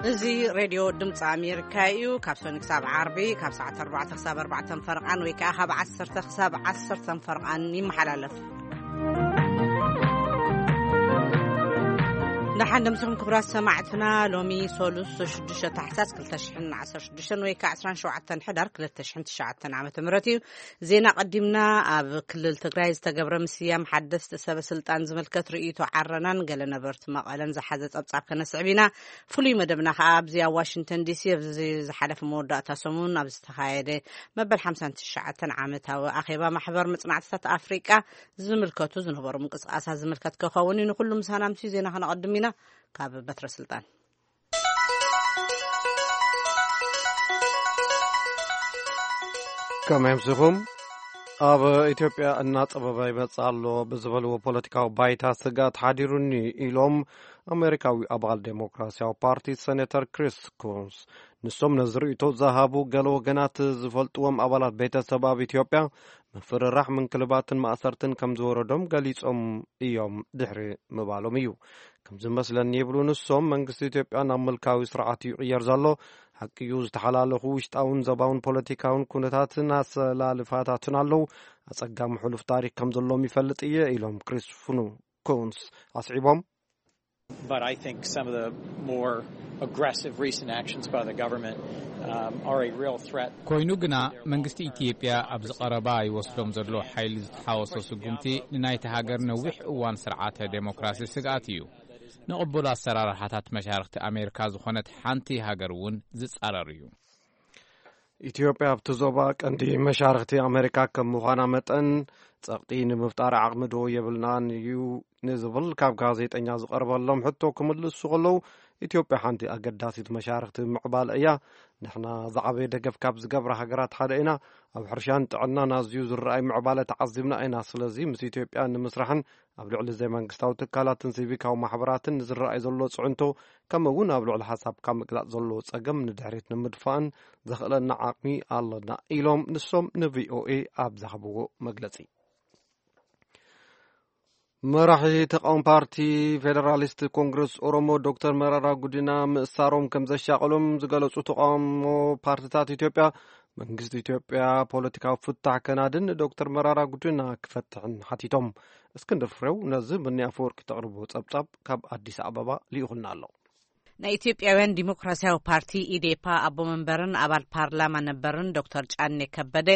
እዚ ሬድዮ ድምፂ ኣሜሪካ እዩ። ካብ ሰኒ ክሳብ ዓርቢ ካብ ሰዓት ኣርባዕተ ክሳብ ኣርባዕተ ፈርቓን ወይ ከዓ ካብ ዓሰርተ ክሳብ ዓሰርተ ፈርቓን ይመሓላለፍ። ደሓን ደምስኹም ክቡራት ሰማዕትና። ሎሚ ሶሉስ ሽዱሽተ ታሕሳስ ክልተ ሽሕን ዓሰርተ ሽዱሽተን ወይ ከዓ ዕስራን ሸውዓተን ሕዳር ክልተ ሽሕን ትሽዓተን ዓመተ ምህረት እዩ። ዜና ቀዲምና። ኣብ ክልል ትግራይ ዝተገብረ ምስያም ሓደስቲ ሰበ ስልጣን ዝምልከት ርእይቶ ዓረናን ገለ ነበርቲ መቐለን ዝሓዘ ጸብጻብ ከነስዕብ ኢና። ፍሉይ መደብና ከኣ ኣብዚ ኣብ ዋሽንግተን ዲሲ ኣብዚ ዝሓለፈ መወዳእታ ሰሙን ኣብ ዝተኻየደ መበል ሓምሳን ትሽዓተን ዓመታዊ ኣኼባ ማሕበር መጽናዕትታት ኣፍሪቃ ዝምልከቱ ዝነበሩ ምንቅስቃሳት ዝምልከት ክኸውን እዩ። ንኹሉ ምሳና ምስ ዜና ከነቐድም ኢና። ካብ በትረ ስልጣን። ከመይ ኣምሲኹም? ኣብ ኢትዮጵያ እናጸበበ ይመጽእ ኣሎ ብዝበልዎ ፖለቲካዊ ባይታ ስግኣት ሓዲሩኒ ኢሎም ኣሜሪካዊ ኣባል ዴሞክራሲያዊ ፓርቲ ሴኔተር ክሪስ ኩንስ። ንሶም ነዚ ርእይቶ ዝሃቡ ገለ ወገናት ዝፈልጥዎም ኣባላት ቤተሰብ ኣብ ኢትዮጵያ ምፍርራሕ፣ ምንክልባትን ማእሰርትን ከም ዝወረዶም ገሊጾም እዮም ድሕሪ ምባሎም እዩ። ከም ዝመስለኒ ይብሉ ንሶም፣ መንግስቲ ኢትዮጵያ ናብ ምልካዊ ስርዓት እዩ ይቕየር ዘሎ። ሓቂ እዩ፣ ዝተሓላለኹ ውሽጣውን ዘባውን ፖለቲካውን ኩነታትን ኣሰላልፋታትን ኣለዉ። ኣጸጋሚ ሕሉፍ ታሪክ ከም ዘለዎም ይፈልጥ እየ ኢሎም ክሪስ ኩንስ ኣስዒቦም። But I think some of the more aggressive recent actions by the government, um, are a real threat. ኮይኑ ግና መንግስቲ ኢትዮጵያ ኣብዚ ቀረባ ይወስዶም ዘሎ ሓይሊ ዝተሓወሶ ስጉምቲ ንናይቲ ሃገር ነዊሕ እዋን ስርዓተ ዴሞክራሲ ስግኣት እዩ። ንቕቡል ኣሰራርሓታት መሻርክቲ ኣሜሪካ ዝኾነት ሓንቲ ሃገር እውን ዝጻረር እዩ። ኢትዮጵያ ኣብቲ ዞባ ቀንዲ መሻርክቲ ኣሜሪካ ከም ምዃና መጠን፣ ጸቕጢ ንምፍጣር ዓቕሚ ዶ የብልናን እዩ ንዝብል ካብ ጋዜጠኛ ዝቐርበሎም ሕቶ ክምልሱ ከለዉ፣ ኢትዮጵያ ሓንቲ ኣገዳሲት መሻርክቲ ምዕባለ እያ። ንሕና ዝዓበየ ደገፍ ካብ ዝገብራ ሃገራት ሓደ ኢና። ኣብ ሕርሻን ጥዕናን ኣዝዩ ዝረኣይ ምዕባለ ተዓዚብና ኢና። ስለዚ ምስ ኢትዮጵያ ንምስራሕን ኣብ ልዕሊ ዘይመንግስታዊ ትካላትን ሲቪካዊ ማሕበራትን ንዝረኣይ ዘሎ ጽዕንቶ፣ ከምኡ እውን ኣብ ልዕሊ ሓሳብካ ምግላጽ ዘሎ ጸገም ንድሕሪት ንምድፋእን ዘኽእለና ዓቕሚ ኣለና ኢሎም ንሶም ንቪኦኤ ኣብ ዝሃብዎ መግለጺ። መራሒ ተቃዋሚ ፓርቲ ፌደራሊስት ኮንግረስ ኦሮሞ ዶክተር መራራ ጉዲና ምእሳሮም ከም ዘሻቐሎም ዝገለጹ ተቃውሞ ፓርትታት ኢትዮጵያ፣ መንግስቲ ኢትዮጵያ ፖለቲካዊ ፍታሕ ከናድን ዶክተር መራራ ጉዲና ክፈትሕን ሓቲቶም። እስክንድር ፍሬው ነዚ ብኒ ኣፈወርቂ ተቕርቦ ጸብጻብ ካብ ኣዲስ ኣበባ ልኢኹልና ኣሎ። ናይ ኢትዮጵያውያን ዲሞክራሲያዊ ፓርቲ ኢዴፓ ኣቦ መንበርን ኣባል ፓርላማ ነበርን ዶክተር ጫኔ ከበደ፣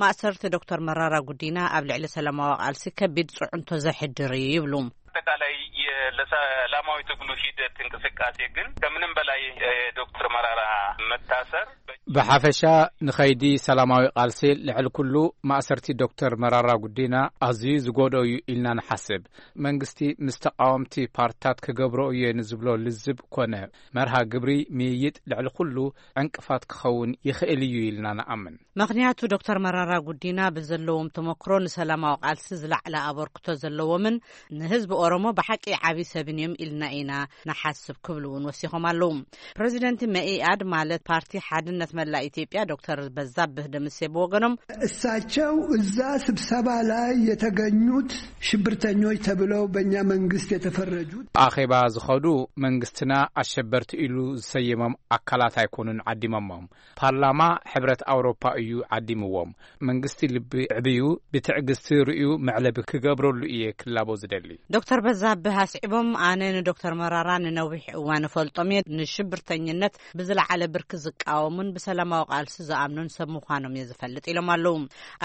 ማእሰርቲ ዶክተር መራራ ጉዲና ኣብ ልዕሊ ሰላማዊ ቃልሲ ከቢድ ጽዕንቶ ዘሕድር እዩ ይብሉ። አጠቃላይ የ-፣ ለሰላማዊ ትግሉ ሂደት እንቅስቃሴ ግን ከምንም በላይ፣ እ፣ ዶክተር መራራ መታሰር ብሓፈሻ ንኸይዲ ሰላማዊ ቃልሲ ልዕሊ ኩሉ ማእሰርቲ ዶክተር መራራ ጉዲና ኣዝዩ ዝጎድኦ እዩ ኢልና ንሓስብ። መንግስቲ ምስ ተቃወምቲ ፓርትታት ክገብሮ እየ ንዝብሎ ልዝብ ኮነ መርሃ ግብሪ ምይይጥ ልዕሊ ኩሉ ዕንቅፋት ክኸውን ይኽእል እዩ ኢልና ንኣምን። ምኽንያቱ ዶክተር መራራ ጉዲና ብዘለዎም ተመክሮ ንሰላማዊ ቃልሲ ዝለዓለ ኣበርክቶ ዘለዎምን ንህዝቢ ኦሮሞ ብሓቂ ዓቢ ሰብን እዮም ኢልና ኢና ንሓስብ ክብሉ እውን ወሲኾም ኣለዉ። ፕሬዚደንት መኢኣድ ማለት ፓርቲ ሓድነት መላእ ኢትዮጵያ ዶክተር በዛብህ ደምሴ ብወገኖም እሳቸው እዛ ስብሰባ ላይ የተገኙት ሽብርተኞች ተብለው በእኛ መንግስት የተፈረጁት ኣኼባ ዝኸዱ መንግስትና ኣሸበርቲ ኢሉ ዝሰየሞም ኣካላት ኣይኮኑን ዓዲሞሞም። ፓርላማ ሕብረት ኣውሮፓ እዩ ዓዲምዎም። መንግስቲ ልቢ ዕብዩ ብትዕግስቲ ርእዩ መዕለቢ ክገብረሉ እየ ክላቦ ዝደሊ። ዶክተር በዛብህ ኣስዒቦም፣ ኣነ ንዶክተር መራራ ንነዊሕ እዋን እፈልጦም እየ። ንሽብርተኝነት ብዝለዓለ ብርኪ ዝቃወሙን ብሰላማዊ ቃልሲ ዝኣምኑን ሰብ ምዃኖም እየ ዝፈልጥ ኢሎም ኣለዉ።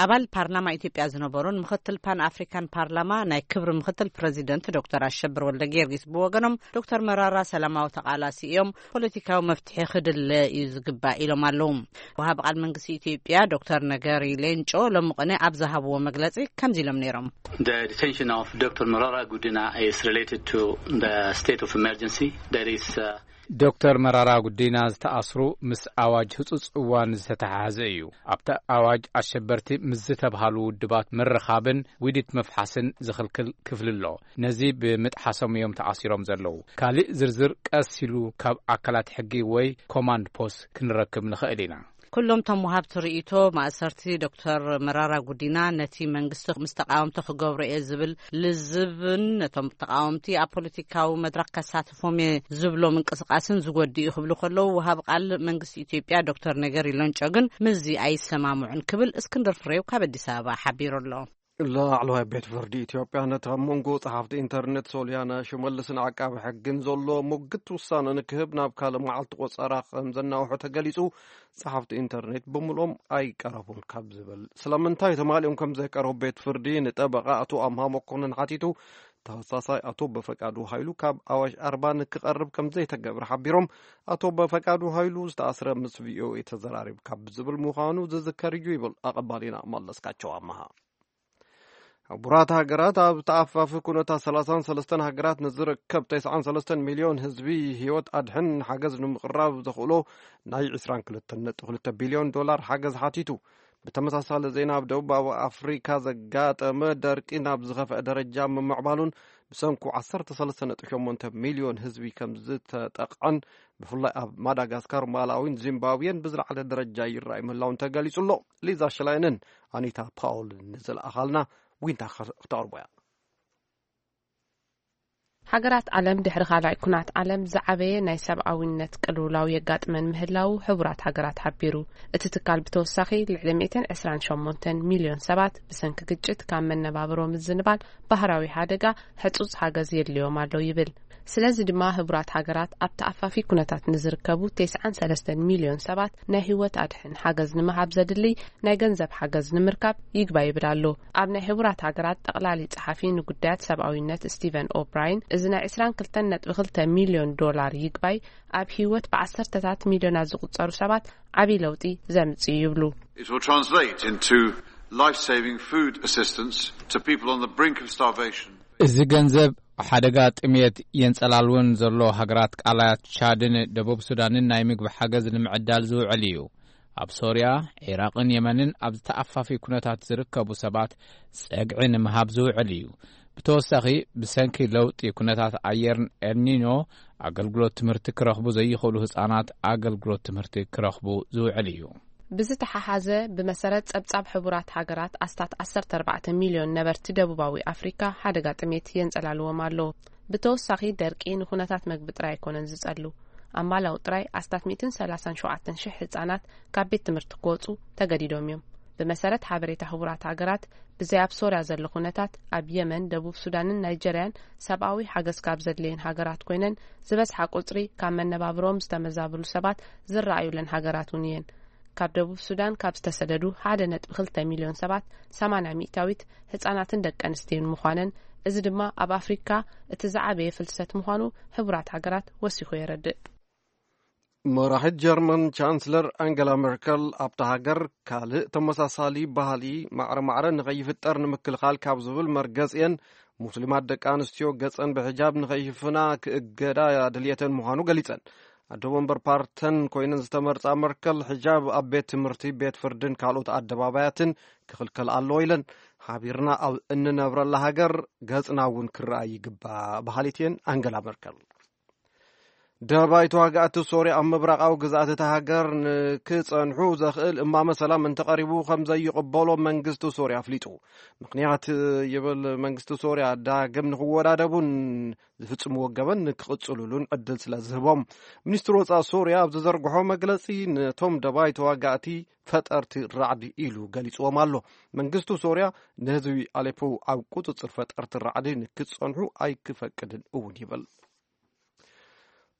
ኣባል ፓርላማ ኢትዮጵያ ዝነበሩን ምክትል ፓን ኣፍሪካን ፓርላማ ናይ ክብሪ ምክትል ፕሬዚደንት ዶክተር ኣሸብር ወልደ ጊዮርጊስ ብወገኖም ዶክተር መራራ ሰላማዊ ተቃላሲ እዮም፣ ፖለቲካዊ መፍትሒ ክድለ እዩ ዝግባእ ኢሎም ኣለዉ። ወሃቢ ቃል መንግስቲ ኢትዮጵያ ዶክተር ነገሪ ሌንጮ ሎሚ ቅነ ኣብ ዝሃብዎ መግለጺ ከምዚ ኢሎም ነይሮም። The detention of Doctor Marara Gudina is related to the state of emergency. There is, uh, ዶክተር መራራ ጉዲና ዝተኣስሩ ምስ ኣዋጅ ህጹጽ እዋን ዝተተሓሓዘ እዩ። ኣብቲ ኣዋጅ ኣሸበርቲ ምስ ዝተብሃሉ ውድባት ምርኻብን ውዲት ምፍሓስን ዝኽልክል ክፍሊ ኣሎ። ነዚ ብምጥሓሶም እዮም ተኣሲሮም ዘለዉ። ካልእ ዝርዝር ቀስ ኢሉ ካብ ኣካላት ሕጊ ወይ ኮማንድ ፖስት ክንረክብ ንኽእል ኢና። ኩሎም እቶም ወሃብቲ ርእይቶ፣ ማእሰርቲ ዶክተር መራራ ጉዲና ነቲ መንግስቲ ምስ ተቃወምቲ ክገብሮ እየ ዝብል ልዝብን ነቶም ተቃወምቲ ኣብ ፖለቲካዊ መድረኽ ከሳትፎም እየ ዝብሎ ምንቅስቃስን ዝጎድእ እዩ ክብሉ ከለዉ፣ ወሃብ ቃል መንግስቲ ኢትዮጵያ ዶክተር ነገሪ ሎንጮ ግን ምስዚ ኣይሰማምዑን ክብል እስክንድር ፍሬው ካብ ኣዲስ ኣበባ ሓቢሩ ኣሎ። ላዕለዋይ ቤት ፍርዲ ኢትዮጵያ ነቲ ኣብ መንጎ ጸሓፍቲ ኢንተርኔት ሶልያና ሽመልስን ዓቃቢ ሕግን ዘሎ ሙግት ውሳነ ንክህብ ናብ ካልእ መዓልቲ ቆጸራ ከም ዘናውሖ ተገሊጹ። ጸሓፍቲ ኢንተርኔት ብምልኦም ኣይቀረቡን ካብ ዝብል፣ ስለምንታይ ተማሊኦም ከም ዘይቀረቡ ቤት ፍርዲ ንጠበቓ ኣቶ ኣምሃ መኮንን ሓቲቱ። ተኸሳሳይ ኣቶ በፈቃዱ ሃይሉ ካብ ኣዋሽ ኣርባ ንክቐርብ ከም ዘይተገብረ ሓቢሮም። ኣቶ በፈቃዱ ሃይሉ ዝተኣስረ ምስ ቪኦኤ ተዘራሪብ ካብ ዝብል ምዃኑ ዝዝከር እዩ ይብል ኣቐባሊና መለስካቸው ኣምሃ። ሕቡራት ሃገራት ኣብ ተኣፋፊ ኩነታት ሰላሳን ሰለስተን ሃገራት ንዝርከብ ተስዓን ሰለስተን ሚልዮን ህዝቢ ህይወት ኣድሕን ሓገዝ ንምቕራብ ዘኽእሎ ናይ ዕስራን ክልተን ነጥቢ ክልተ ቢልዮን ዶላር ሓገዝ ሓቲቱ። ብተመሳሳሊ ዜና፣ ኣብ ደቡባዊ ኣፍሪካ ዘጋጠመ ደርቂ ናብ ዝኸፍአ ደረጃ ምምዕባሉን ብሰንኩ ዓሰርተ ሰለስተ ነጥቢ ሸሞንተ ሚልዮን ህዝቢ ከም ዝተጠቕዐን፣ ብፍላይ ኣብ ማዳጋስካር፣ ማላዊን ዚምባብዌን ብዝለዓለ ደረጃ ይረኣይ ምህላውን ተገሊጹ ኣሎ። ሊዛ ሽላይንን ኣኒታ ፓውልን ንዝለኣኻልና ዊንታ ክተቕርቦ እያ። ሃገራት ዓለም ድሕሪ ካልኣይ ኩናት ዓለም ዝዓበየ ናይ ሰብኣዊነት ቅልውላው የጋጥመን ምህላው ሕቡራት ሃገራት ሓቢሩ። እቲ ትካል ብተወሳኺ ልዕሊ ሚእትን ዕስራን ሸሞንተን ሚልዮን ሰባት ብሰንኪ ግጭት ካብ መነባብሮ ምዝንባል ባህራዊ ሓደጋ ሕጹጽ ሓገዝ የድልዮም ኣሎ ይብል። ስለዚ ድማ ሕቡራት ሃገራት ኣብ ተኣፋፊ ኩነታት ንዝርከቡ ተስዓን ሰለስተን ሚልዮን ሰባት ናይ ህይወት ኣድሕን ሓገዝ ንምሃብ ዘድሊ ናይ ገንዘብ ሓገዝ ንምርካብ ይግባይ ይብል ኣሎ። ኣብ ናይ ሕቡራት ሃገራት ጠቕላሊ ጸሓፊ ንጉዳያት ሰብኣዊነት ስቲቨን ኦብራይን፣ እዚ ናይ ዕስራን ክልተን ነጥቢ ክልተ ሚልዮን ዶላር ይግባይ ኣብ ህይወት ብዓሰርተታት ሚልዮናት ዝቑጸሩ ሰባት ዓቢ ለውጢ ዘምጽእ ይብሉ። It will translate into life-saving food assistance to people on the brink of starvation. እዚ ገንዘብ ሓደጋ ጥሜት የንጸላልወን ዘሎ ሃገራት ቃላያት ቻድን ደቡብ ሱዳንን ናይ ምግቢ ሓገዝ ንምዕዳል ዝውዕል እዩ። ኣብ ሶርያ፣ ዒራቕን የመንን ኣብ ዝተኣፋፊ ኩነታት ዝርከቡ ሰባት ጸግዒ ንምሃብ ዝውዕል እዩ። ብተወሳኺ፣ ብሰንኪ ለውጢ ኩነታት ኣየርን ኤልኒኖ ኣገልግሎት ትምህርቲ ክረኽቡ ዘይኽእሉ ህጻናት ኣገልግሎት ትምህርቲ ክረኽቡ ዝውዕል እዩ። ብዝተሓሓዘ፣ ብመሰረት ጸብጻብ ሕቡራት ሃገራት፣ ኣስታት ዓሰርተ ኣርባዕተ ሚልዮን ነበርቲ ደቡባዊ ኣፍሪካ ሓደጋ ጥሜት የንጸላልዎም ኣሎ። ብተወሳኺ፣ ደርቂ ንኹነታት መግቢ ጥራይ ኣይኮነን ዝጸሉ። ኣብ ማላዊ ጥራይ ኣስታት ሚእትን ሰላሳን ሸውዓተን ሽሕ ህጻናት ካብ ቤት ትምህርቲ ክወጹ ተገዲዶም እዮም። ብመሰረት ሓበሬታ ሕቡራት ሃገራት፣ ብዘይ ኣብ ሶርያ ዘሎ ኩነታት፣ ኣብ የመን፣ ደቡብ ሱዳንን ናይጀርያን ሰብኣዊ ሓገዝ ካብ ዘድልየን ሃገራት ኮይነን፣ ዝበዝሓ ቁጽሪ ካብ መነባብሮኦም ዝተመዛበሉ ሰባት ዝረኣዩለን ሃገራት እውን እየን። ካብ ደቡብ ሱዳን ካብ ዝተሰደዱ ሓደ ነጥቢ ክልተ ሚልዮን ሰባት፣ ሰማንያ ሚእታዊት ህጻናትን ደቂ ኣንስትዮን ምዃነን፣ እዚ ድማ ኣብ ኣፍሪካ እቲ ዝዓበየ ፍልሰት ምዃኑ ሕቡራት ሃገራት ወሲኹ የረድእ። መራሒት ጀርመን ቻንስለር ኣንገላ ሜርከል፣ ኣብታ ሃገር ካልእ ተመሳሳሊ ባህሊ ማዕረ ማዕረ ንኸይፍጠር ንምክልኻል ካብ ዝብል መርገጺኤን፣ ሙስሊማት ደቂ ኣንስትዮ ገጸን ብሕጃብ ንኸይሽፍና ክእገዳ ድልየተን ምዃኑ ገሊጸን። ኣደ ወንበር ፓርተን ኮይነን ዝተመርጻ መርከል፣ ሕጃብ ኣብ ቤት ትምህርቲ፣ ቤት ፍርድን ካልኦት ኣደባባያትን ክኽልከል ኣለዎ ኢለን። ሓቢርና ኣብ እንነብረላ ሃገር ገጽና እውን ክረኣይ ይግባእ በሃሊት እየን ኣንገላ መርከል። ደባይ ተዋጋእቲ ሶርያ ኣብ ምብራቓዊ ግዝኣት እታ ሃገር ንክጸንሑ ዘኽእል እማመ ሰላም እንተቐሪቡ ከም ዘይቕበሎ መንግስቲ ሶርያ ኣፍሊጡ። ምኽንያት ይብል መንግስቲ ሶርያ፣ ዳግም ንክወዳደቡን ዝፍጽምዎ ገበን ንክቕጽሉሉን ዕድል ስለ ዝህቦም። ሚኒስትሪ ወጻኢ ሶርያ ኣብ ዝዘርግሖ መግለጺ፣ ነቶም ደባይ ተዋጋእቲ ፈጠርቲ ራዕዲ ኢሉ ገሊጽዎም ኣሎ። መንግስቲ ሶርያ ንህዝቢ ኣሌፖ ኣብ ቁጽጽር ፈጠርቲ ራዕዲ ንክጸንሑ ኣይክፈቅድን እውን ይብል።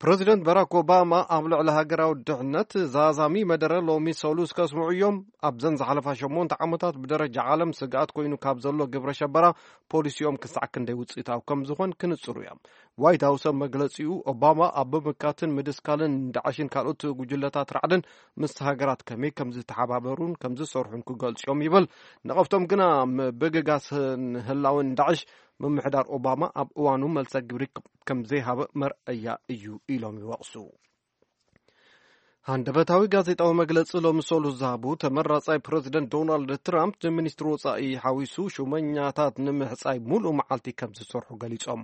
ፕረዚደንት ባራክ ኦባማ ኣብ ልዕሊ ሃገራዊ ድሕነት ዛዛሚ መደረ ሎሚ ሰሉስ ከስምዑ እዮም። ኣብዘን ዝሓለፋ ሸሞንተ ዓመታት ብደረጃ ዓለም ስግኣት ኮይኑ ካብ ዘሎ ግብረ ሸበራ ፖሊሲኦም ክሳዕ ክንደይ ውፅኢታዊ ከም ዝኾን ክንፅሩ እዮም። ዋይት ሃውስ ኣብ መግለፂኡ፣ ኦባማ ኣብ ምምካትን ምድስካልን ዳዕሽን ካልኦት ጉጅለታት ራዕድን ምስ ሃገራት ከመይ ከም ዝተሓባበሩን ከም ዝሰርሑን ክገልፁ እዮም ይብል። ነቐፍቶም ግና ምብግጋስን ህላውን ዳዕሽ ምምሕዳር ኦባማ ኣብ እዋኑ መልሰ ግብሪ ከም ዘይሃበ መርኣያ እዩ ኢሎም ይወቕሱ። ሃንደበታዊ ጋዜጣዊ መግለጺ ሎሚ ሰሉስ ዝሃቡ ተመራጻይ ፕረዚደንት ዶናልድ ትራምፕ፣ ንሚኒስትሪ ወጻኢ ሓዊሱ ሹመኛታት ንምሕጻይ ሙሉእ መዓልቲ ከም ዝሰርሑ ገሊጾም።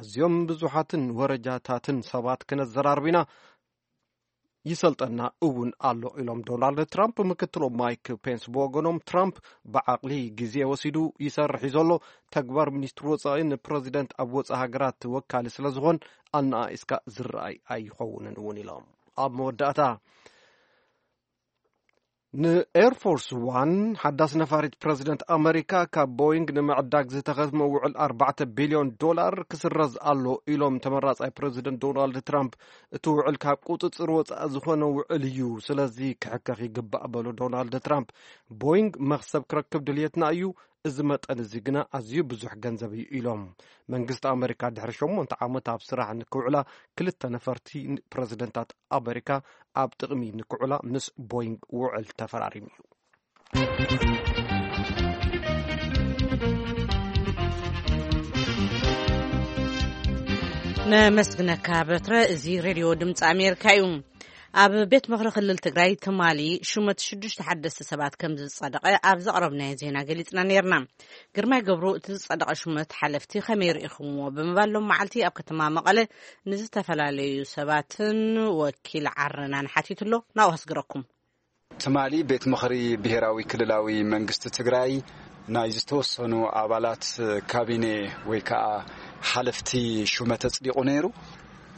ኣዝዮም ብዙሓትን ወረጃታትን ሰባት ክነዘራርብ ኢና። ይሰልጠና እውን ኣሎ ኢሎም ዶናልድ ትራምፕ። ምክትሎም ማይክ ፔንስ ብወገኖም፣ ትራምፕ ብዓቕሊ ግዜ ወሲዱ ይሰርሕ እዩ ዘሎ። ተግባር ሚኒስትር ወፃኢ ንፕረዚደንት ኣብ ወፃኢ ሃገራት ወካሊ ስለ ዝኾን ኣነኣኢስካ ዝረኣይ ኣይኸውንን እውን ኢሎም። ኣብ መወዳእታ ንኤርፎርስ ዋን ሓዳስ ነፋሪት ፕረዚደንት ኣመሪካ ካብ ቦይንግ ንምዕዳግ ዝተኸትመ ውዕል ኣርባዕተ ቢልዮን ዶላር ክስረዝ ኣሎ ኢሎም ተመራጻይ ፕረዚደንት ዶናልድ ትራምፕ። እቲ ውዕል ካብ ቁጽጽር ወጻኢ ዝኾነ ውዕል እዩ፣ ስለዚ ክሕከኽ ይግባእ በሉ ዶናልድ ትራምፕ። ቦይንግ መኽሰብ ክረክብ ድልየትና እዩ፣ እዚ መጠን እዚ ግና ኣዝዩ ብዙሕ ገንዘብ እዩ ኢሎም። መንግስቲ ኣመሪካ ድሕሪ ሸሞንተ ዓመት ኣብ ስራሕ ንክውዕላ ክልተ ነፈርቲ ፕረዚደንታት ኣመሪካ ኣብ ጥቕሚ ንክውዕላ ምስ ቦይንግ ውዕል ተፈራሪሙ እዩ። ነመስግነካ በትረ። እዚ ሬድዮ ድምፂ ኣሜሪካ እዩ። ኣብ ቤት ምኽሪ ክልል ትግራይ ትማሊ ሹመት ሽዱሽተ ሓደስቲ ሰባት ከም ዝጸደቐ ኣብ ዘቕረብናዮ ዜና ገሊጽና ነይርና። ግርማይ ገብሩ እቲ ዝጸደቐ ሹመት ሓለፍቲ ከመይ ርኢኹምዎ ብምባል ሎም መዓልቲ ኣብ ከተማ መቐለ ንዝተፈላለዩ ሰባትን ወኪል ዓረናን ሓቲቱ ኣሎ። ናብኡ ከስግረኩም። ትማሊ ቤት ምኽሪ ብሄራዊ ክልላዊ መንግስቲ ትግራይ ናይ ዝተወሰኑ ኣባላት ካቢኔ ወይ ከዓ ሓለፍቲ ሹመት ኣጽዲቑ ነይሩ።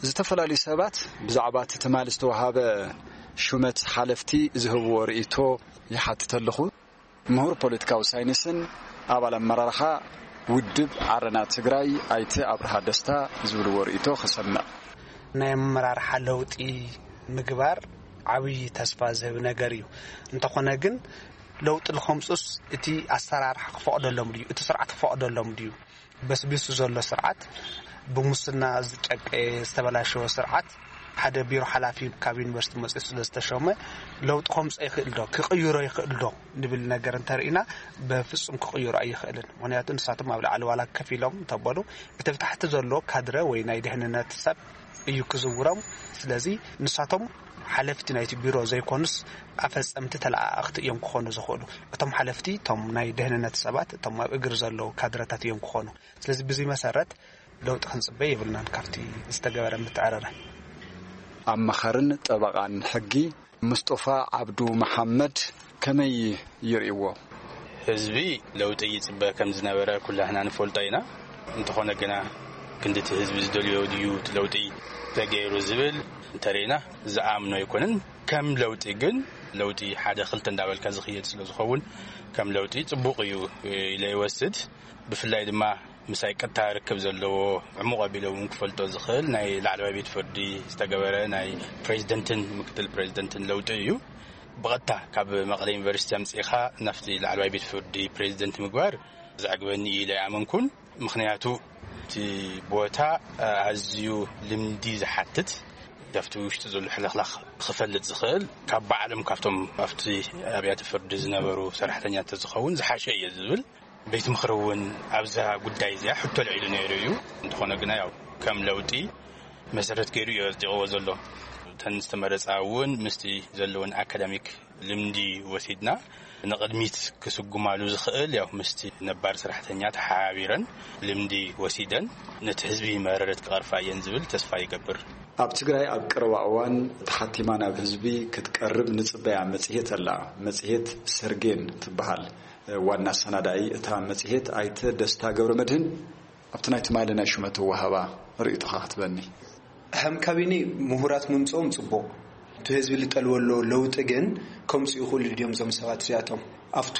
ዝተፈላለዩ ሰባት ብዛዕባ እቲ ትማሊ ዝተወሃበ ሹመት ሓለፍቲ ዝህብዎ ርእይቶ ይሓትት ኣለኹ። ምሁር ፖለቲካዊ ሳይንስን ኣባል ኣመራርሓ ውድብ ዓረና ትግራይ ኣይተ ኣብርሃ ደስታ ዝብልዎ ርእይቶ ክሰምዕ። ናይ ኣመራርሓ ለውጢ ምግባር ዓብዪ ተስፋ ዝህብ ነገር እዩ። እንተኾነ ግን ለውጢ ንኸምፁስ እቲ ኣሰራርሓ ክፈቕደሎም ድዩ? እቲ ስርዓት ክፈቕደሎም ድዩ? በስቢሱ ዘሎ ስርዓት፣ ብሙስና ዝጨቀየ ዝተበላሸወ ስርዓት፣ ሓደ ቢሮ ሓላፊ ካብ ዩኒቨርሲቲ መፅኡ ስለ ዝተሾመ ለውጢ ከምፅኦ ይኽእል ዶ? ክቕይሮ ይኽእል ዶ? ንብል ነገር እንተርኢና፣ በፍጹም ክቕይሮ ኣይኽእልን። ምኽንያቱ ንሳቶም ኣብ ላዕሊ ዋላ ከፊሎም እንተበሉ፣ እቲ ብታሕቲ ዘሎ ካድረ ወይ ናይ ድሕንነት ሰብ እዩ ክዝውሮም። ስለዚ ንሳቶም ሓለፍቲ ናይቲ ቢሮ ዘይኮኑስ ኣፈጸምቲ ተለኣኣኽቲ እዮም ክኾኑ ዝኽእሉ። እቶም ሓለፍቲ እቶም ናይ ድሕንነት ሰባት፣ እቶም ኣብ እግሪ ዘለዉ ካድረታት እዮም ክኾኑ። ስለዚ ብዚ መሰረት ለውጢ ክንጽበ የብልናን ካብቲ ዝተገበረ ምትዕርራይ። ኣማኻርን ጠበቓን ሕጊ ሙስጦፋ ዓብዱ መሓመድ ከመይ ይርእይዎ? ህዝቢ ለውጢ ይጽበ ከም ዝነበረ ኩላህና ንፈልጦ ኢና። እንተኾነ ግና ክንድቲ ህዝቢ ዝደልዮ ድዩ እቲ ለውጢ ተገይሩ ዝብል እንተርኢና ዝኣምኖ ኣይኮነን። ከም ለውጢ ግን ለውጢ ሓደ ክልተ እንዳበልካ ዝኽየድ ስለ ዝኸውን ከም ለውጢ ጽቡቕ እዩ ኢለ ይወስድ። ብፍላይ ድማ ምሳይ ቀጥታ ርክብ ዘለዎ ዕሙቕ ኣቢለ እውን ክፈልጦ ዝኽእል ናይ ላዕለዋይ ቤት ፍርዲ ዝተገበረ ናይ ፕሬዚደንትን ምክትል ፕሬዚደንትን ለውጢ እዩ። ብቐጥታ ካብ መቐለ ዩኒቨርሲቲ ኣምፂእኻ ናብቲ ላዕለዋይ ቤት ፍርዲ ፕሬዚደንት ምግባር ዘዕግበኒ እዩ ኢለ ኣይኣመንኩን። ምኽንያቱ እቲ ቦታ ኣዝዩ ልምዲ ዝሓትት፣ ካብቲ ውሽጢ ዘሎ ሕልኽላኽ ክፈልጥ ዝኽእል ካብ ባዕሎም ካብቶም ኣብቲ ኣብያተ ፍርዲ ዝነበሩ ሰራሕተኛታት ዝኸውን ዝሓሸ እየ ዝብል። ቤት ምኽሪ እውን ኣብዛ ጉዳይ እዚኣ ሕቶ ልዒሉ ነይሩ እዩ። እንተኾነ ግና ያው ከም ለውጢ መሰረት ገይሩ እዩ ኣጽዲቕዎ ዘሎ። እተን ዝተመረጻ እውን ምስቲ ዘለውን ኣካዳሚክ ልምዲ ወሲድና ንቕድሚት ክስጉማሉ ዝኽእል ያው ምስቲ ነባር ሰራሕተኛ ተሓባቢረን ልምዲ ወሲደን ነቲ ህዝቢ መረረት ክቐርፋ እየን ዝብል ተስፋ ይገብር። ኣብ ትግራይ ኣብ ቀረባ እዋን ተሓቲማ ናብ ህዝቢ ክትቀርብ ንጽበያ መጽሔት ኣላ። መጽሔት ሰርጌን ትበሃል። ዋና ኣሰናዳኢ እታ መጽሔት ኣይተ ደስታ ገብረ መድህን ኣብቲ ናይ ትማሊ ናይ ሹመት ወሃባ ርእይቶኻ ክትበኒ። ከም ካቢኔ ምሁራት ምምፅኦም ፅቡቕ። እቲ ህዝቢ ልጠልወሎ ለውጢ ግን ከምፅኡ ይኽእሉ ድዮም እዞም ሰባት እዚኣቶም? ኣብቱ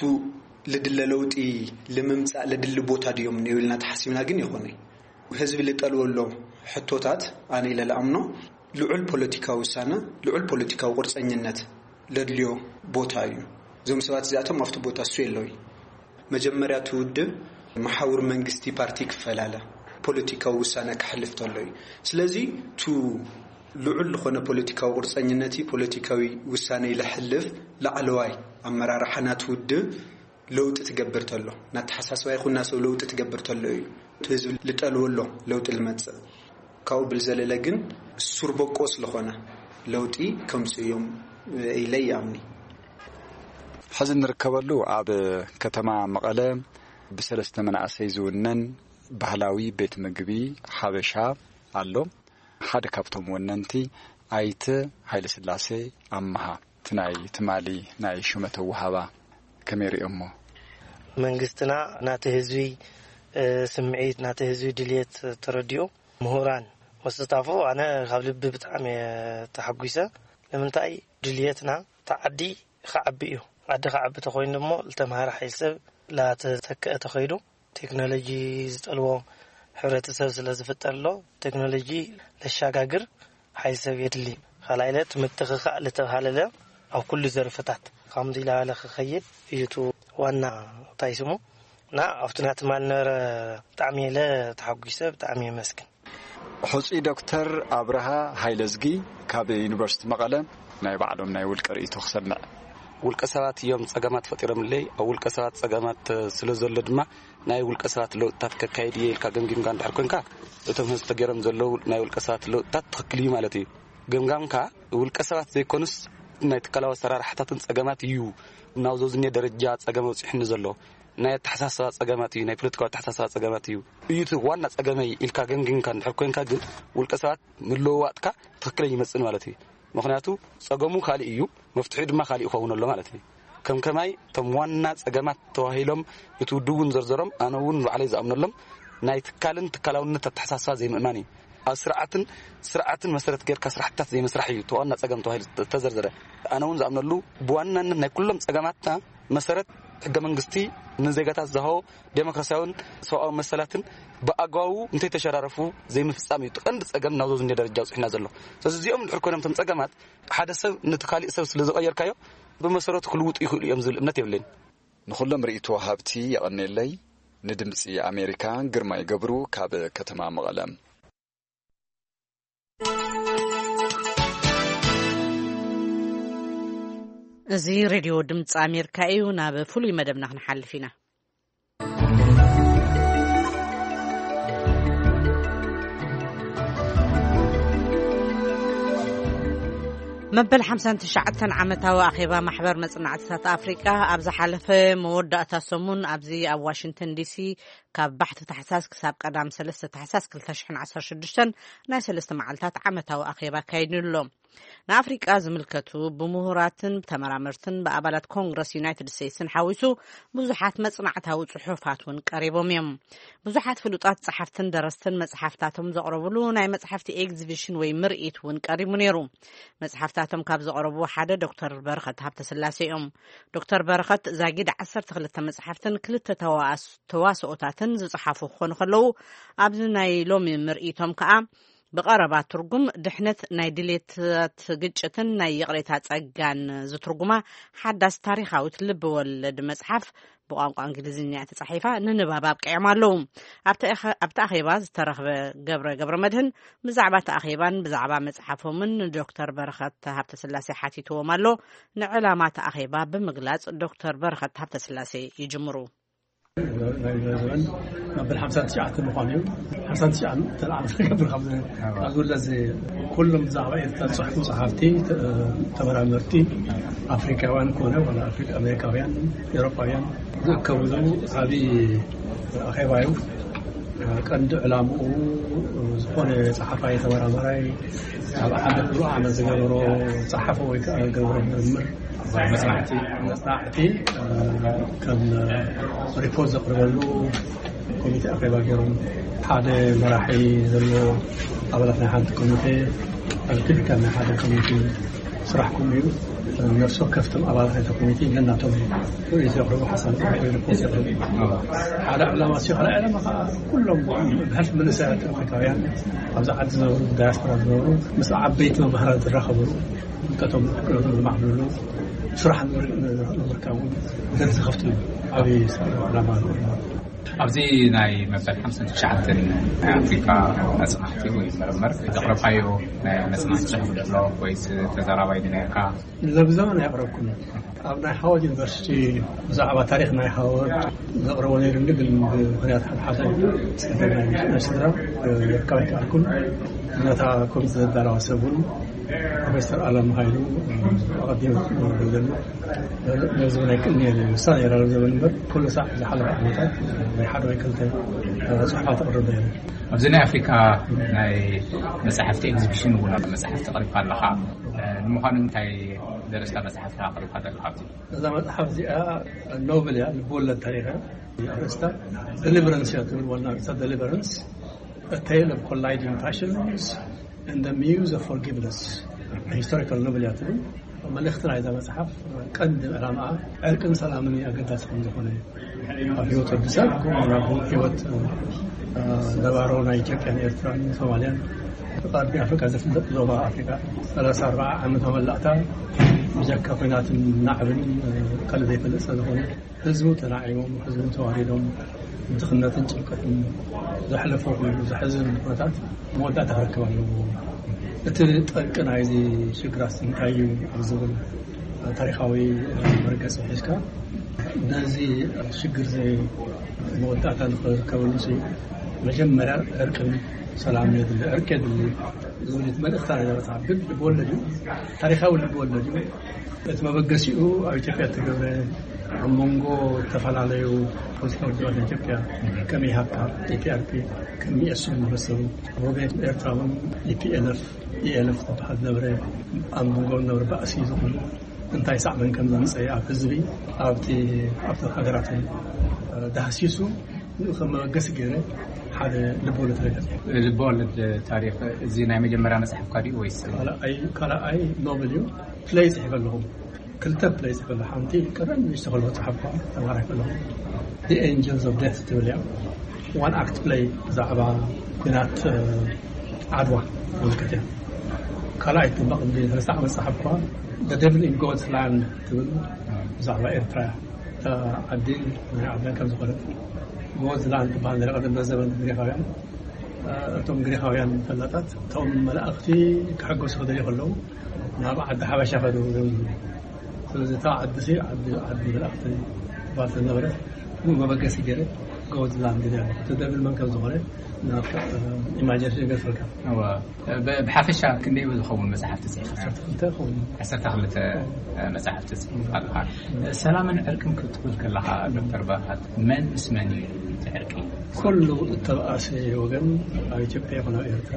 ልድለ ለውጢ ልምምፃእ ልድሊ ቦታ ድዮም ንብልና ተሓሲብና ግን ይኾነ። ህዝቢ ልጠልወሎ ሕቶታት ኣነ ኢለ ልኣምኖ ልዑል ፖለቲካዊ ውሳነ፣ ልዑል ፖለቲካዊ ቁርፀኝነት ለድልዮ ቦታ እዩ። እዞም ሰባት እዚኣቶም ኣብቲ ቦታ እሱ የለዊ። መጀመርያ እቲ ውድብ መሓውር መንግስቲ ፓርቲ ክፈላለ ፖለቲካዊ ውሳነ ክሕልፍ ተሎ እዩ። ስለዚ ቱ ልዑል ዝኾነ ፖለቲካዊ ቁርፀኝነት እዩ፣ ፖለቲካዊ ውሳነ ይለሕልፍ ላዕለዋይ ኣመራርሓ ናቲ ውድብ ለውጢ ትገብር ተሎ፣ ናተሓሳስባ ይኹን ናሰብ ለውጢ ትገብር ተሎ እዩ እቲ ህዝቢ ልጠልወሎ ለውጢ ልመጽእ። ካብኡ ብልዘለለ ግን ሱር በቆ ስለኾነ ለውጢ ከምጽኡ እዮም ኢለ ይኣምኒ። ሕዚ እንርከበሉ ኣብ ከተማ መቐለ ብሰለስተ መናእሰይ ዝውነን ባህላዊ ቤት ምግቢ ሓበሻ ኣሎ። ሓደ ካብቶም ወነንቲ ኣይተ ሃይለስላሴ ኣመሃ፣ እቲ ናይ ትማሊ ናይ ሹመት ኣወሃባ ከመይ ሪኦሞ? መንግስትና ናቲ ህዝቢ ስምዒት፣ ናቲ ህዝቢ ድልየት ተረዲኡ፣ ምሁራን ወስታፉ፣ ኣነ ካብ ልቢ ብጣዕሚ ተሓጒሰ። ንምንታይ ድልየትና ተዓዲ ክዓቢ እዩ። ዓዲ ክዓቢ ተኮይኑ ደሞ ዝተምሃረ ሓይል ሰብ ላተተክአ ተኸይዱ፣ ቴክኖሎጂ ዝጠልቦ ሕብረተሰብ ስለ ዝፍጠር ኣሎ። ቴክኖሎጂ ለሻጋግር ሓይል ሰብ የድሊ። ካልኣይ ለ ትምትኽኻእ ልተብሃለለ ኣብ ኩሉ ዘርፍታት ከምዚ ኢላለ ክኸይድ እዩ እቲ ዋና እንታይ ስሙ እና ኣብቲ ናትማል ነበረ። ብጣዕሚ የለ ተሓጒሰ፣ ብጣዕሚ የመስግን። ሕፁይ ዶክተር ኣብርሃ ሃይለዝጊ ካብ ዩኒቨርሲቲ መቐለ ናይ ባዕሎም ናይ ውልቀ ርእይቶ ክሰምዕ። ውልቀ ሰባት እዮም ጸገማት ፈጢሮምለይ። ኣብ ውልቀ ሰባት ጸገማት ስለ ዘሎ ድማ ናይ ውልቀ ሰባት ለውጥታት ከካይድ እየ ኢልካ ገምጊምካ እንድሕር ኮንካ፣ እቶም ህዝቢ ተገይሮም ዘለዉ ናይ ውልቀ ሰባት ለውጥታት ትኽክል እዩ ማለት እዩ። ገምጋምካ ውልቀ ሰባት ዘይኮኑስ ናይ ትካላዊ ኣሰራርሓታትን ጸገማት እዩ ናብ ዘዝኔ ደረጃ ጸገም ኣውፂሑኒ ዘሎ። ናይ ኣተሓሳስባ ጸገማት እዩ፣ ናይ ፖለቲካዊ ኣተሓሳስባ ጸገማት እዩ። እዩ እቲ ዋና ጸገመይ ኢልካ ገምጊምካ እንድሕር ኮንካ ግን ውልቀ ሰባት ምልውዋጥካ ትኽክለኛ ይመጽእ ማለት እዩ። ምኽንያቱ ጸገሙ ካልእ እዩ፣ መፍትሒኡ ድማ ካልእ ይኸውን ኣሎ ማለት እዩ። ከም ከማይ እቶም ዋና ጸገማት ተባሂሎም እቲ ውድብ እውን ዘርዘሮም፣ ኣነ እውን ባዕለይ ዝኣምነሎም ናይ ትካልን ትካላውነት ኣተሓሳስባ ዘይምእማን እዩ። ኣብ ስርዓትን ስርዓትን መሰረት ጌርካ ስራሕትታት ዘይምስራሕ እዩ እቲ ዋና ጸገም ተባሂሉ ዝተዘርዘረ። ኣነ እውን ዝኣምነሉ ብዋናነት ናይ ኩሎም ጸገማትና መሰረት ሕገ መንግስቲ ንዜጋታት ዝሃቦ ዴሞክራሲያውን ሰብኣዊ መሰላትን ብኣግባቡ እንተይተሸራረፉ ዘይምፍጻም እዩ እቲ ቀንዲ ጸገም ናብ ዘዝንደ ደረጃ ኣብጽሑና ዘሎ። ስለዚ እዚኦም እንድሕር ኮይኖም እቶም ጸገማት ሓደ ሰብ ነቲ ካሊእ ሰብ ስለ ዝቐየርካዮ ብመሰረቱ ክልውጡ ይኽእሉ እዮም ዝብል እምነት የብለይን። ንኹሎም ርእይቶ ሃብቲ የቐኔለይ። ንድምጺ ኣሜሪካ ግርማይ ገብሩ ካብ ከተማ መቐለ። እዚ ሬድዮ ድምፂ ኣሜሪካ እዩ። ናብ ፍሉይ መደብና ክንሓልፍ ኢና። መበል ሓምሳን ትሽዓተን ዓመታዊ ኣኼባ ማሕበር መጽናዕትታት ኣፍሪቃ ኣብ ዝሓለፈ መወዳእታ ሰሙን ኣብዚ ኣብ ዋሽንግተን ዲሲ ካብ ባሕቲ ታሕሳስ ክሳብ ቀዳም ሰለስተ ታሕሳስ ክልተ ሽሕን ዓሰርተ ሽዱሽተን ናይ ሰለስተ መዓልታት ዓመታዊ ኣኼባ ኣካይዱ ኣሎ። ንኣፍሪቃ ዝምልከቱ ብምሁራትን ብተመራመርትን ብኣባላት ኮንግረስ ዩናይትድ ስቴትስን ሓዊሱ ብዙሓት መጽናዕታዊ ጽሑፋት እውን ቀሪቦም እዮም። ብዙሓት ፍሉጣት ጸሓፍትን ደረስትን መጽሓፍታቶም ዘቕረብሉ ናይ መጽሓፍቲ ኤግዚቢሽን ወይ ምርኢት እውን ቀሪቡ ነይሩ። መጽሓፍታቶም ካብ ዘቕረቡ ሓደ ዶክተር በረኸት ሃብተስላሴ እዮም። ዶክተር በረኸት ዛጊድ ዓሰርተ ክልተ መጽሓፍትን ክልተ ተዋስ-፣ ተዋስኦታትን ዝጸሓፉ ክኾኑ ከለዉ፣ ኣብዚ ናይ ሎሚ ምርኢቶም ከኣ ብቐረባ ትርጉም ድሕነት ናይ ድሌታት ግጭትን ናይ ይቕሬታ ጸጋን ዝትርጉማ ሓዳስ ታሪኻዊት ልቢ ወለድ መጽሓፍ ብቋንቋ እንግሊዝኛ እያ ተጻሒፋ ንንባብ ኣብቂዖም ኣለዉ። ኣብቲ ኣኸ-፣ ኣብቲ ኣኼባ ዝተረኽበ ገብረ ገብረ መድህን ብዛዕባ እቲ ኣኼባን ብዛዕባ መጽሓፎምን ንዶክተር በረኸት ሃብተስላሴ ሓቲትዎም ኣሎ። ንዕላማ እቲ ኣኼባ ብምግላጽ ዶክተር በረኸት ሃብተስላሴ ይጅምሩ። ናይ ዘበን መበል ሓምሳን ትሽዓተን ምዃኑ እዩ። ሓምሳን ትሽዓን ተለዓሉ ዝገብር ካብ ካብ ዝውለድ ኩሎም ብዛዕባ ኤርትራ ዝፅሕፉ ጸሓፍቲ፣ ተ-፣ ተመራመርቲ ኣፍሪካውያን ኮነ ዋላ ኣፍሪካ ኣሜሪካውያን፣ ኤውሮጳውያን ዝእከብሉ ዓብዪ ኣኼባ እዩ። ቀንዲ ዕላምኡ ዝኾነ ጸሓፋይ ተመራማራይ ኣብ ሓደ ኩሉ ዓመት ዝገበሮ ጸሓፎ ወይ ከዓ ዝገበሮ ምርምር መጽናዕቲ መጽናዕቲ ከም ሪፖርት ዘቕርበሉ ኮሚቴ ኣኼባ ገይሮም፣ ሓደ መራሒ ዘለዎ ኣባላት ናይ ሓንቲ ኮሚቴ፣ ቲፒካል ናይ ሓደ ኮሚቴ ስራሕኩም እዩ። ነፍሲ ወከፍቶም ኣባላት ናይቲ ኮሚቴ ነናቶም ርእይቶ የቕርቡ፣ ሓሳብ ሪፖርት የቕርቡ። ሓደ ዕላማ ሲ ካልኣይ ዕላማ ከዓ ኩሎም ብሕልፊ መንእሰያት ኣፍሪካውያን ኣብዚ ዓዲ ዝነብሩ፣ ዳያስፖራ ዝነብሩ ምስ ዓበይቲ መምህራን ዝራኸብሉ፣ ፍልጠቶም ክእለቶም ዝማዕብልሉ፣ ስራሕ ንምርካብ እውን በር ዝኸፍት እዩ። ዓብዪ ዕላማ ኣለዎ። ኣብዚ ናይ መበል ሓምሳን ትሽዓተን ናይ ኣፍሪካ መፅናዕቲ ወይ ምርምር ዘቕረብካዮ ናይ መፅናዕቲ ፅሑፍ ዘሎ ወይስ ተዛራባይ ነይርካ? ለብዘበን ኣየቕረብኩን። ኣብ ናይ ሃዋርድ ዩኒቨርሲቲ ብዛዕባ ታሪኽ ናይ ሃዋርድ ዘቕረቦ ነይሩኒ፣ ግን ብምኽንያት ሓድሓደ ናይ ስድራ ክርከብ ኣይከኣልኩን። ነታ ኮሚቴ ዘዳለዋ ሰብ እውን ፕሮፌሰር ኣለም ሃይሉ ኣቐዲሙ ክነግሮ ዘሎ ነዚ ናይ ቅድሚ ውሳነ ነይራ ዘበን እምበር፣ ኩሉ ሳዕ ዝሓለፈ ዓመታት ናይ ሓደ ወይ ክልተ ጽሑፋት ኣቕርበ እዮም። ኣብዚ ናይ ኣፍሪካ ናይ መጽሓፍቲ ኤግዚቢሽን እውን መጽሓፍቲ ኣቕሪብካ ኣለኻ። ንምዃኑ እንታይ ደረስታ መጽሓፍካ ኣቕሪብካ ዘለካ ኣብዚ? እዛ መጽሓፍ እዚኣ ኖቨል እያ፣ ልብወለድ ታሪኽ እያ። ኣርእስታ ደሊቨረንስ እያ ትብል፣ ዋና ኣርእስታ ደሊቨረንስ፣ A Tale of Colliding Passions and the Muse of Forgiveness, ሂስቶሪካል ኖቨል እያ ትብል። መልእኽቲ ናይዛ መጽሓፍ ቀንዲ ዕላማኣ ዕርቅን ሰላምን ኣገዳሲ ከም ዝኾነ፣ ኣብ ህይወት ወዲ ሰብ ከምኡ እውን ኣብ ህይወት ነባሮ ናይ ኢትዮጵያን ኤርትራን ሶማልያን፣ ቀርኒ ኣፍሪካ ዝፍለጥ ዞባ ኣፍሪካ ሰላሳ ኣርባዓ ዓመት መመላእታ ብጀካ ኲናትን ናዕብን ካልእ ዘይፈልጥ ስለ ዝኾነ፣ ህዝቡ ተናዒቦም፣ ህዝቡ ተዋሪዶም፣ ድኽነትን ጭንቀትን ዘሕለፎ ኮይኑ ዘሕዝን ኩነታት መወዳእታ ክረክብ ኣለዎ። እቲ ጠንቂ ናይዚ ሽግራት እንታይ እዩ ኣብ ዝብል ታሪኻዊ መርገፂ ሒዝካ፣ ነዚ ሽግር እዚ መወዳእታ ንክርከበሉ ሲ መጀመርያ ዕርቅን ሰላም የድሊ፣ ዕርቂ የድሊ ዝብል እቲ መልእኽታ ናይ መጽሓፍ። ግን ልብወለድ እዩ፣ ታሪኻዊ ልብወለድ እዩ። እቲ መበገሲኡ ኣብ ኢትዮጵያ እተገብረ፣ ኣብ መንጎ ዝተፈላለዩ ፖለቲካዊ ውድባት ኢትዮጵያ፣ ከም ኢሃፓ፣ ኢፒኣርፒ፣ ከም ሚኤሶን ዝመሰሉ፣ ወገን ኤርትራ እውን ኢፒኤልኤፍ፣ ኢኤልኤፍ ዝበሃል ዝነበረ፣ ኣብ መንጎ ዝነበረ ባእሲ ዝኾኑ እንታይ ሳዕበን ከም ዘምፀ ኣብ ህዝቢ፣ ኣብቲ ኣብቲ ሃገራትን ዳህሲሱ ንኡ ከም መበገሲ ገይረ ሓደ ልብወለድ ነገር። ልብወለድ ታሪኽ እዚ ናይ መጀመርያ መጽሓፍካ ድዩ ወይስ? ካልኣይ፣ ካልኣይ ኖቨል እዩ። ፕለይ ጽሒፈ ኣለኹ። ክልተ ፕለይ ጽሒፈ ኣለኹ። ሓንቲ ቀደም ንእሽቶ ከለኹ ጸሓፍኳ፣ ተማሃራይ ከለኹ፣ The Angels of Death ትብል እያ። ዋን ኣክት ፕለይ ብዛዕባ ኲናት ዓድዋ ዝምልከት እያ። ካልኣይ ድማ ቅድሚ ሰለስተ ዓመት ጸሓፍኳ፣ The Devil in God's Land ትብል፣ ብዛዕባ ኤርትራ እያ። እታ ዓዲ ናይ ዓድና ከም ዝኾነት፣ ጎዝላንድ ትበሃል ነይራ ቀደም ዘበን ግሪኻውያን። እቶም ግሪኻውያን ፈላጣት እቶም መላእኽቲ ክሕጎሱ ክደልዩ ከለዉ ናብ ዓዲ ሓበሻ ከዱ። ስለዚ እታ ዓዲ ሲ ዓዲ ዓዲ መላእኽቲ ትበሃል ስለዝነበረት፣ ብኡ መበገሲ ገይረ ጎዝላንድ ኢለ። እቲ ደብል መን ከም ዝኾነ ናብታ ኢማጂነሽን ይገድፈልካ። እዋ። ብ-፣ ብሓፈሻ ክንደይ ዝኸውን መጽሓፍቲ ጽሒፍካ? ዓሰርተ ክልተ ይኸውን። ዓሰርተ ክልተ መጽሓፍቲ ጽሒፍካ ኣለኻ። ሰላምን ዕርቅን ክትብል ከለኻ ዶክተር በረኸት፣ መን ምስ መን እዩ እቲ ዕርቂ? ኩሉ እተባእሰ ወገን ኣብ ኢትዮጵያ ይኹን ኣብ ኤርትራ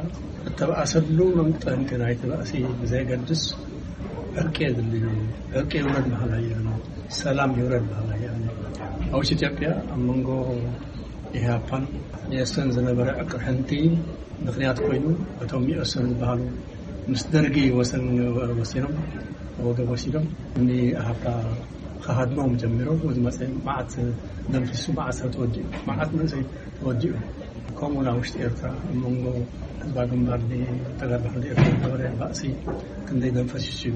እተባእሰሉ መንጠንቂ ናይቲ ባእሲ ብዘየገድስ ዕርቂ የድሊ እዩ። ዕርቂ ይውረድ በሃላይ እየ ኣነ። ሰላም ይውረድ በሃላይ እየ ኣነ። ኣብ ውሽጢ ኢትዮጵያ ኣብ መንጎ ኢህኣፓን ሚኤሶን ዝነበረ ዕቅርሕንቲ ምኽንያት ኮይኑ፣ እቶም ሚኤሶን ዝበሃሉ ምስ ደርጊ ወሰን ወሲኖም፣ ወገብ ወሲዶም፣ ንኢህኣፓ ክሃድሞም ጀሚሮም። ዝመፀ መዓት ደምሲሱ፣ መዓት ሰብ ተወዲኡ፣ መዓት መንእሰይ ተወዲኡ። ከምኡ ናብ ውሽጢ ኤርትራ፣ ኣብ መንጎ ህዝባዊ ግንባር ተጋድሎ ሓርነት ኤርትራ ዝነበረ ባእሲ ክንደይ ደም ፈሲሱ እዩ።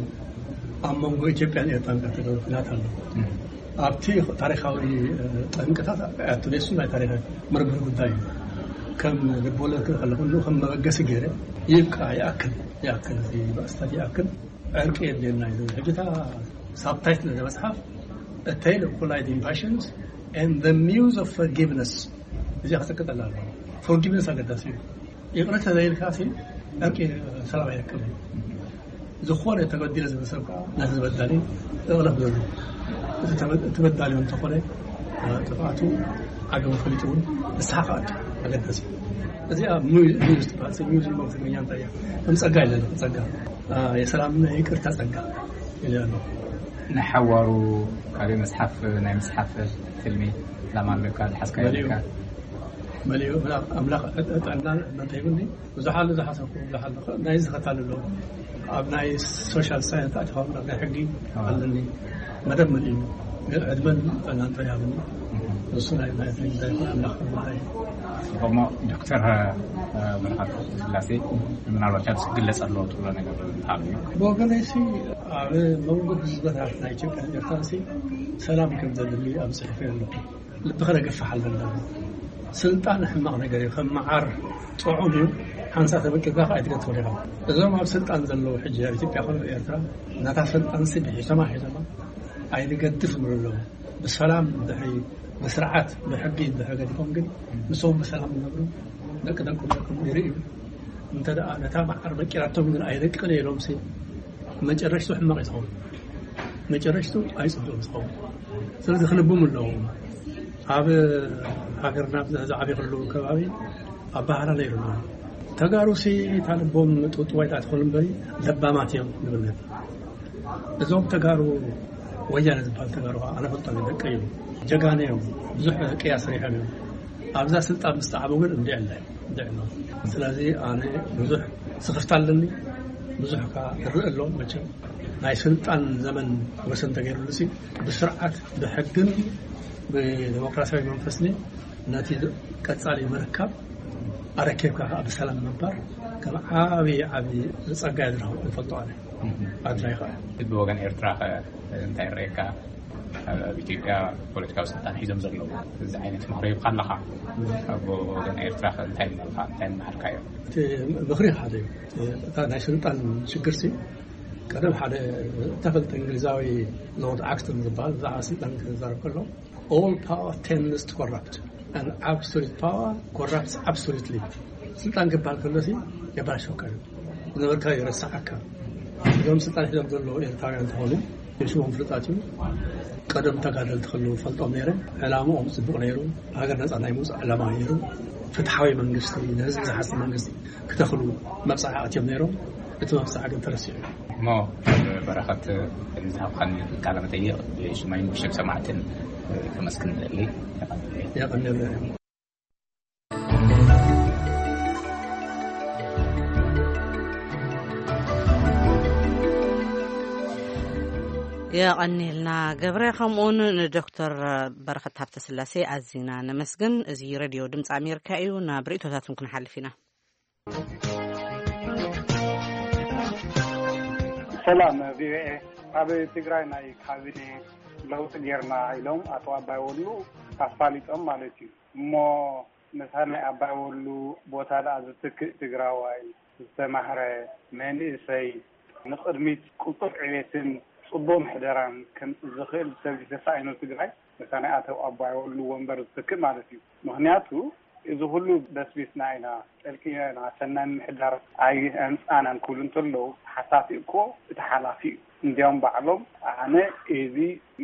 ኣብ መንጎ ኢትዮጵያን ኤርትራን ካብ ተገብረ ኲናት ኣሎ። ኣብቲ ታሪኻዊ፣ እ፣ ጠንቅታት ኣያቱ ኔሱ ናይ ታሪኽ ምርምር ጉዳይ እዩ። ከም ልብወለድ ክርኢ ከለኹ፣ ንኡ ከም መበገሲ ገይረ፣ ይብቃ፣ ይኣክል፣ ይኣክል፣ እዚ ባእስታት ይኣክል፣ ዕርቂ የድልየና እዩ ዝብል። ሕጂ እታ ሳብታይትል እዛ መጽሓፍ፣ A Tale of Colliding Passions and the Muse of Forgiveness፣ እዚኣ ክትቅጠል ኣለዋ። ፎርጊቭነስ ኣገዳሲ እዩ። ይቕረ ተዘይልካ ሲ ዕርቂ ሰላም ኣይረክብን። ዝኾነ ተበዲለ ዝብል ሰብ ከዓ ነቲ ዝበዳሊ እቕለፍ ዘሎ። እቲ ተበ-፣ እቲ በዳሊ እውን እንተኾነ፣ እ፣ ጥፍኣቱ ዓገቡ ፈሊጡ እውን ንስሓ ክኣቱ ኣገዳሲ እዩ። እዚኣ ሚዩ-፣ ሚዩዝ ትበሃል። ሰብ ሚዩዝ እሞ ብትግርኛ እንታይ እያ? ከም ጸጋ ኢለኒ፣ ጸጋ። እ፣ የሰላምና የይቅርታ ጸጋ ኢለ ኣለኹ። ንሓዋሩ ካልእ መጽሓፍ፣ ናይ ምጽሓፍ ትልሚ ዕላማ ኣለካ፣ ዝሓዝካዮ መሊኡ፣ ኣለካ? መሊኡ፣ ኣምላኽ ጥዕናን ዕድመን ተሂቡኒ። ብዙሕ ኣሎ ዝሓሰብኩ፣ ብዙሕ ኣሎ። ናይዚ ከታልሎ፣ ኣብ ናይ ሶሻል ሳይንስ ኣቲኻ፣ ኣብ ናይ ሕጊ ኣዎ። ኣለኒ። መደብ መሊኡ፣ ግን ዕድመን ጥዕናን ጥራይ ሃብኒ። እሱ ናይ፣ ናይ፣ ናይ፣ ናይ ኣምላኽ ጥዕና እዩ። ጽቡቕ። እሞ ዶክተር፣ እ፣ ብርሃን ስላሴ፣ ምናልባት ኣብዚ ክግለጽ ኣለዎ ትብሎ ነገር እንተሃልዩ? ብወገነይሲ፣ ኣብ መንጎ ህዝብታት ናይ ኢትዮጵያን ኤርትራንሲ ሰላም ከም ዘድሊ ኣብ ጽሑፈይ ኣለኹ። ልብኻ ደገፍሕ ኣለና። ስልጣን ሕማቕ ነገር እዩ። ከም መዓር ጥዑም እዩ። ሓንሳእ ተመቂርካ ከዓ ኣይትገድፎን ኢኻ። እዞም ኣብ ስልጣን ዘለዉ ሕጂ ኣብ ኢትዮጵያ ኮነ ኣብ ኤርትራ፣ ነታ ስልጣንሲ ብሒቶማ ሒቶማ ኣይንገድፍ ይብሉ ኣለዉ። ብሰላም ድሕሪ፣ ብስርዓት፣ ብሕጊ ድሕሪ ገዲፎም ግን፣ ንሶም ብሰላም ይነብሩ፣ ደቂ ደቆም ደቆም ይርእዩ። እንተ ደኣ ነታ መዓር መቂራቶም ግን ኣይደቅቕን እየ ኢሎምሲ፣ መጨረሽቱ ሕማቕ እዩ ዝኸውን። መጨረሽቱ ኣይጽቡቕን ዝኸውን። ስለዚ ክልብሙ ኣለዎም። ኣብ ሃገርና ኣብዚ ዓብይ ከለዉ ከባቢ ኣባህላ ነይሩና። ተጋሩሲ እታ ልቦም ጥውጥዋይ ትኾን እምበሪ ለባማት እዮም ንብል ነበር። እዞም ተጋሩ፣ ወያነ ዝበሃል ተጋሩ ከዓ ኣነ ፈልጦም እዮም፣ ደቀይ እዮም፣ ጀጋነ እዮም፣ ብዙሕ ቅያ ሰሪሖም እዮም። ኣብዛ ስልጣን ምስ ጠዓሙ ግን እንዲዕ ኣለ፣ እንዲዕ ኣሎ። ስለዚ ኣነ ብዙሕ ስኽፍታ ኣለኒ፣ ብዙሕ ከዓ እርኢ ኣሎ። መቸም ናይ ስልጣን ዘመን ወሰን ተገይሩሉ ሲ ብስርዓት ብሕግን ብዲሞክራሲያዊ መንፈስኒ ነቲ ቀጻሊ ምርካብ ኣረኪብካ ከዓ ብሰላም ምንባር ከም ዓብዪ ዓብዪ ጸጋ እየ ዝረኽቦ፣ ይፈልጦ ኣነ። ኣድላይ ከዓ ብወገን ኤርትራ ከ እንታይ ይረኣየካ? ኣብ ኢትዮጵያ ፖለቲካዊ ስልጣን ሒዞም ዘለዉ እዚ ዓይነት ምኽሪ ሂብካ ኣለኻ። ኣብ ወገን ኤርትራ ከ እንታይ ምበልካ? እንታይ ምመሃልካዮ? እቲ ምኽሪ ሓደ እዩ። እታ ናይ ስልጣን ሽግርሲ ቀደም ሓደ ተፈልጠ እንግሊዛዊ ሎርድ ኣክስተን ዝበሃል ብዛዕባ ስልጣን ክዛረብ ከሎ፣ all power tends to corrupt and absolute power corrupts absolutely። ስልጣን ክበሃል ከሎሲ የባላሸወካ እዩ፣ ዝነበርካ ይረስዓካ። እዞም ስልጣን ሒዞም ዘለዉ ኤርትራውያን እንተኾኑ ሽሞም ፍሉጣት እዩ። ቀደም ተጋደልቲ ከለዉ ፈልጦም ነይረ። ዕላምኦም ጽቡቕ ነይሩ። ሃገር ነጻ ናይ ምውጻእ ዕላማ ነይሩ። ፍትሓዊ መንግስቲ፣ ንህዝቢ ዝሓስብ መንግስቲ ክተኽሉ መብጻዓ ኣትዮም ነይሮም። እቲ መብጻዓ ግን ተረሲዑ እዩ። እሞ በረኸት፣ ንዝሃብካኒ ቃለ መጠይቕ ብሽመይን ብሽም ሰማዕትን ከመስግን እደሊ። የቐንየለይ። የቐንየልና ገብረ፣ ከምኡውን ንዶክተር በረኸት ሃብተስላሴ ኣዚና ነመስግን። እዚ ሬድዮ ድምፂ ኣሜሪካ እዩ። ናብ ርእቶታትኩም ክንሓልፍ ኢና። ሰላም ቪኦኤ። ኣብ ትግራይ ናይ ካቢኔ ለውጢ ጌርና ኢሎም ኣቶ ኣባይ ወሉ ኣፋሊጦም ማለት እዩ። እሞ ነታ ናይ ኣባይ ወሉ ቦታ ደኣ ዝትክእ ትግራዋይ፣ ዝተማህረ መንእሰይ፣ ንቕድሚት ቅልጡፍ ዕቤትን ጽቡቕ ምሕደራን ከምጽእ ዝኽእል ሰብ ተሳኢኑ ትግራይ፣ ነታ ናይ ኣቶ ኣባይ ወሉ ወንበር ዝትክእ ማለት እዩ። ምኽንያቱ እዚ ኩሉ በስቢስና ኢና፣ ጠልቂና ኢና፣ ሰናይ ምምሕዳር ኣይኣምጻእናን ክብሉ እንተለዉ፣ ሓሳቲ እኮ እቲ ሓላፊ እዩ። እንዲያውም ባዕሎም ኣነ እዚ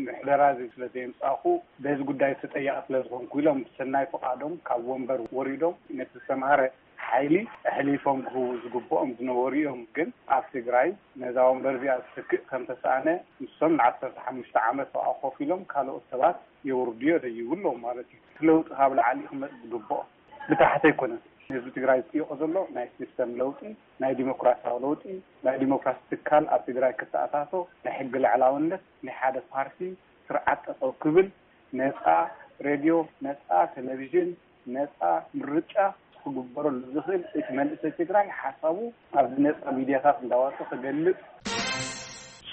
ምሕደራ እዚ ስለ ዘየምጻእኩ በዚ ጉዳይ ተጠያቂ ስለ ዝኾንኩ ኢሎም ብሰናይ ፍቓዶም ካብ ወንበር ወሪዶም ነቲ ዝተምሃረ ሓይሊ ኣሕሊፎም ክህቡ ዝግብኦም ዝነበሩ እዮም። ግን ኣብ ትግራይ ነዛ ወንበር እዚኣ ዝትክእ ከም ተሰኣነ ንሶም ንዓሰርተ ሓሙሽተ ዓመት ኣብኣ ኮፍ ኢሎም ካልኦት ሰባት የውርድዮ ደይቡ ኣለዎም ማለት እዩ። እቲ ለውጢ ካብ ላዕሊ ክመጽእ ዝግብኦ ብታሕቲ ኣይኮነን። ህዝቢ ትግራይ ዝጥይቆ ዘሎ ናይ ሲስተም ለውጢ፣ ናይ ዲሞክራሲያዊ ለውጢ፣ ናይ ዲሞክራሲ ትካል ኣብ ትግራይ ክተኣታቶ፣ ናይ ሕጊ ልዕላውነት፣ ናይ ሓደ ፓርቲ ስርዓት ጠጠው ክብል፣ ነፃ ሬድዮ፣ ነፃ ቴሌቪዥን፣ ነፃ ምርጫ ክግበረሉ ዝኽእል እቲ መንእሰይ ትግራይ ሓሳቡ ኣብዚ ነፃ ሚድያታት እንዳወፀ ክገልፅ።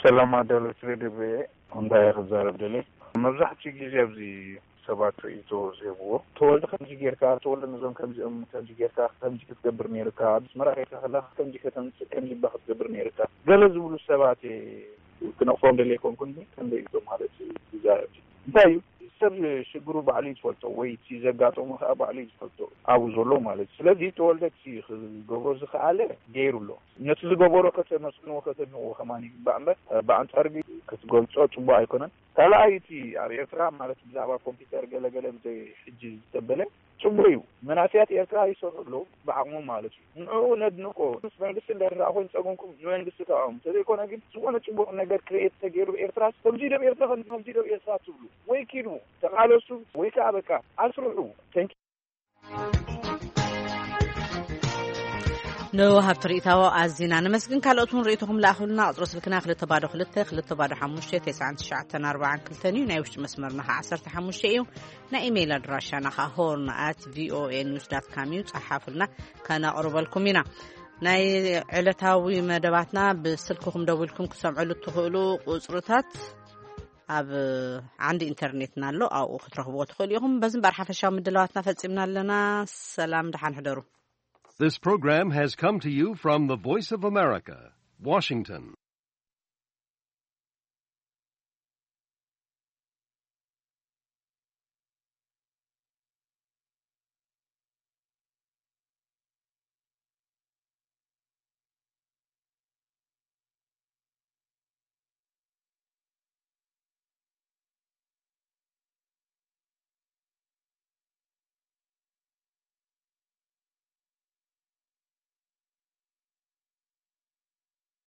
ሰላም ኣዳለውቲ ሬድዮ ቪኦኤ፣ እንታይ ክዛረብ ደልየ? መብዛሕትኡ ግዜ ኣብዚ ሰባት ርእይቶ ዝህብዎ፣ ተወልደ ከምዚ ጌርካ፣ ተወልደ ነዞም ከምዚኦም ከምዚ ጌርካ፣ ከምዚ ክትገብር ነይርካ፣ ኣብ ኣስመራ ጌርካ ከለኻ ከምዚ ከተምጽእ ከምዚ እባ ክትገብር ነይርካ፣ ገለ ዝብሉ ሰባት እየ ክነቕፎም ደልየ ኣይኮንኩን፣ ግን ከም ርእይቶ ማለት እዩ ዝዛረብ። እንታይ እዩ ሰብ ሽግሩ ባዕሉ እዩ ዝፈልጦ ወይ እቲ ዘጋጠሞ ከዓ ባዕሉ እዩ ዝፈልጦ ኣብኡ ዘሎ ማለት እዩ። ስለዚ ተወልደ እቲ ክገብሮ ዝኸኣለ ገይሩ ኣሎ። ነቲ ዝገበሮ ከተመስግንዎ ከተድንቕዎ ከማን ይግባእ እምበር ብኣንጻር ግን ክትገልጾ ጽቡቕ ኣይኮነን። ካልኣይ እቲ ኣብ ኤርትራ ማለት ብዛዕባ ኮምፒውተር ገለ ገለ ብዘይ ሕጂ ዝተበለ ጽቡቕ እዩ። መናእሰያት ኤርትራ ይሰርሑ ኣለዉ ብዓቕሞም ማለት እዩ። ንዕኡ ነድንቆ። ምስ መንግስቲ እንድሕር ደኣ ኮይኑ ጸገምኩም ንመንግስቲ ተቓወሙ። እንተዘይኮነ ግን ዝኾነ ጽቡቕ ነገር ክርኤት ተገይሩ ኤርትራ ከምዚ ኢሎም ኤርትራ ከምዚ ኢሎም ኤርትራ ትብሉ ወይ ኪዱ ተቓለሱ ወይ ከዓ በቃ ኣስርሑ። Thank you። ንወሃብቲ ርእይታዎ ኣዚና ነመስግን። ካልኦት እውን ርእይቶኹም ለኣኹልና። ቁጽሪ ስልክና ክልተ ባዶ ክልተ ክልተ ባዶ ሓሙሽተ ተስዓን ትሽዓተን ኣርባዓን ክልተን እዩ። ናይ ውሽጢ መስመርና ከዓ ዓሰርተ ሓሙሽተ እዩ። ናይ ኢሜይል ኣድራሻና ከዓ ሆርን ኣት ቪኦኤ ኒውስ ዳት ካም እዩ። ጸሓፉልና፣ ከነቕርበልኩም ኢና። ናይ ዕለታዊ መደባትና ብስልክኹም ደዊልኩም ክሰምዕሉ እትኽእሉ ቁጽርታት ኣብ ዓንዲ ኢንተርኔትና ኣሎ፣ ኣብኡ ክትረኽብዎ ትኽእሉ ኢኹም። በዚ እምበኣር ሓፈሻዊ ምድላዋትና ፈጺምና ኣለና። ሰላም፣ ደሓን ሕደሩ። This program has come to you from the Voice of America, Washington.